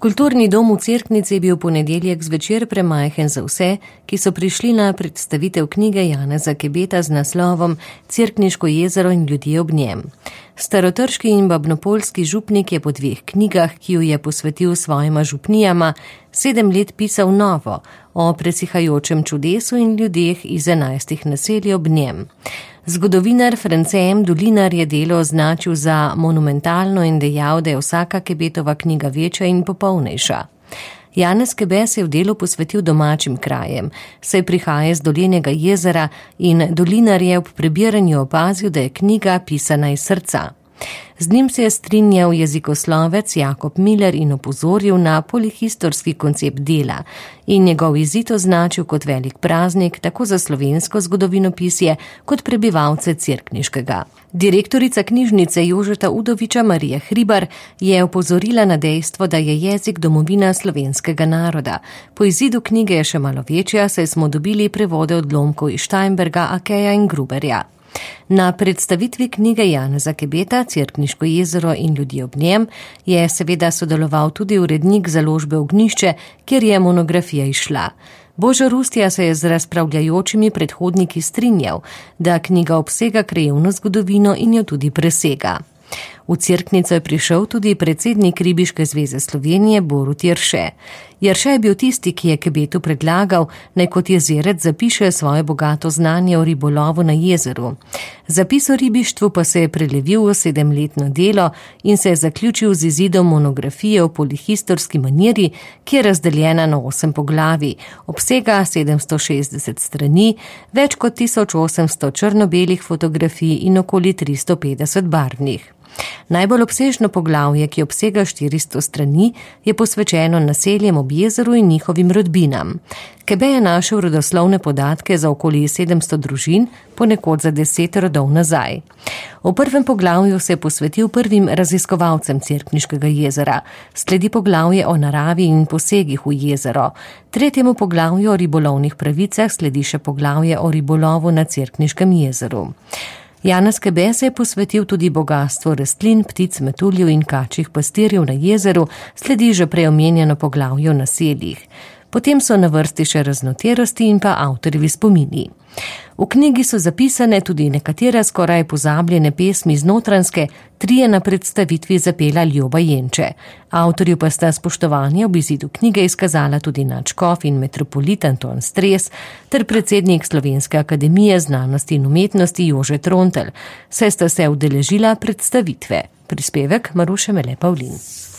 Kulturni dom v Cerknici je bil ponedeljek zvečer premajhen za vse, ki so prišli na predstavitev knjige Janeza Kebeta z naslovom Cerkniško jezero in ljudje ob njem. Starotrški in babnopoljski župnik je po 2 knjigah, ki ju je posvetil svojima župnijama, 7 let pisal novo o presihajočem čudesu in ljudeh iz 11 naselij ob njem. Zgodovinar France M. Dolinar je delo označil za monumentalno in dejal, da je vsaka Kebetova knjiga večja in popolnejša. Janez Kebe se je v delu posvetil domačim krajem, saj prihaja iz Dolenjega jezera in Dolinar je ob prebiranju opazil, da je knjiga pisana iz srca. Z njim se je strinjal jezikoslovec Jakob Miller in opozoril na polihistorski koncept dela in njegov izid označil kot velik praznik tako za slovensko zgodovinopisje kot prebivalce Cerkniškega. Direktorica knjižnice Jožeta Udoviča Marija Hribar je opozorila na dejstvo, da je jezik domovina slovenskega naroda. Po izidu knjige je še malo večja, saj smo dobili prevode odlomkov iz Steinberga, Akeja in Gruberja. Na predstavitvi knjige Janeza Kebeta, Cerkniško jezero in ljudje ob njem, je seveda sodeloval tudi urednik založbe Ognjišče, kjer je monografija izšla. Božo Rustja se je z razpravljajočimi predhodniki strinjal, da knjiga obsega krajevno zgodovino in jo tudi presega. V Cerknico je prišel tudi predsednik Ribiške zveze Slovenije Borut Jerše. Jerše je bil tisti, ki je Kebetu predlagal, naj kot jezerec zapiše svoje bogato znanje o ribolovu na jezeru. Zapis o ribištvu pa se je prelevil v 7-letno delo in se je zaključil z izidom monografije o polihistorski maniri, ki je razdeljena na 8 poglavij, obsega 760 strani, več kot 1800 črno-belih fotografij in okoli 350 barvnih. Najbolj obsežno poglavje, ki obsega 400 strani, je posvečeno naseljem ob jezeru in njihovim rodbinam. Kebe je našel rodoslovne podatke za okoli 700 družin, ponekod za 10 rodov nazaj. V prvem poglavju se je posvetil prvim raziskovalcem Cerkniškega jezera, sledi poglavje o naravi in posegih v jezero. Tretjemu poglavju o ribolovnih pravicah sledi še poglavje o ribolovu na Cerkniškem jezeru. Janez Kebe se je posvetil tudi bogastvu rastlin, ptic, metuljev in kačjih pastirjev na jezeru, sledi že prej omenjeno poglavje o naseljih. Potem so na vrsti še raznoterosti in pa avtorjevi spomini. V knjigi so zapisane tudi nekatere skoraj pozabljene pesmi z Notranjske, 3 na predstavitvi zapela Ljoba Jenče. Avtorju pa sta spoštovanje ob izidu knjige izkazala tudi nadškof in metropolit Anton Stres ter predsednik Slovenske akademije znanosti in umetnosti Jože Trontelj, saj sta se udeležila predstavitve. Prispevek Maruše Mele Pavlin.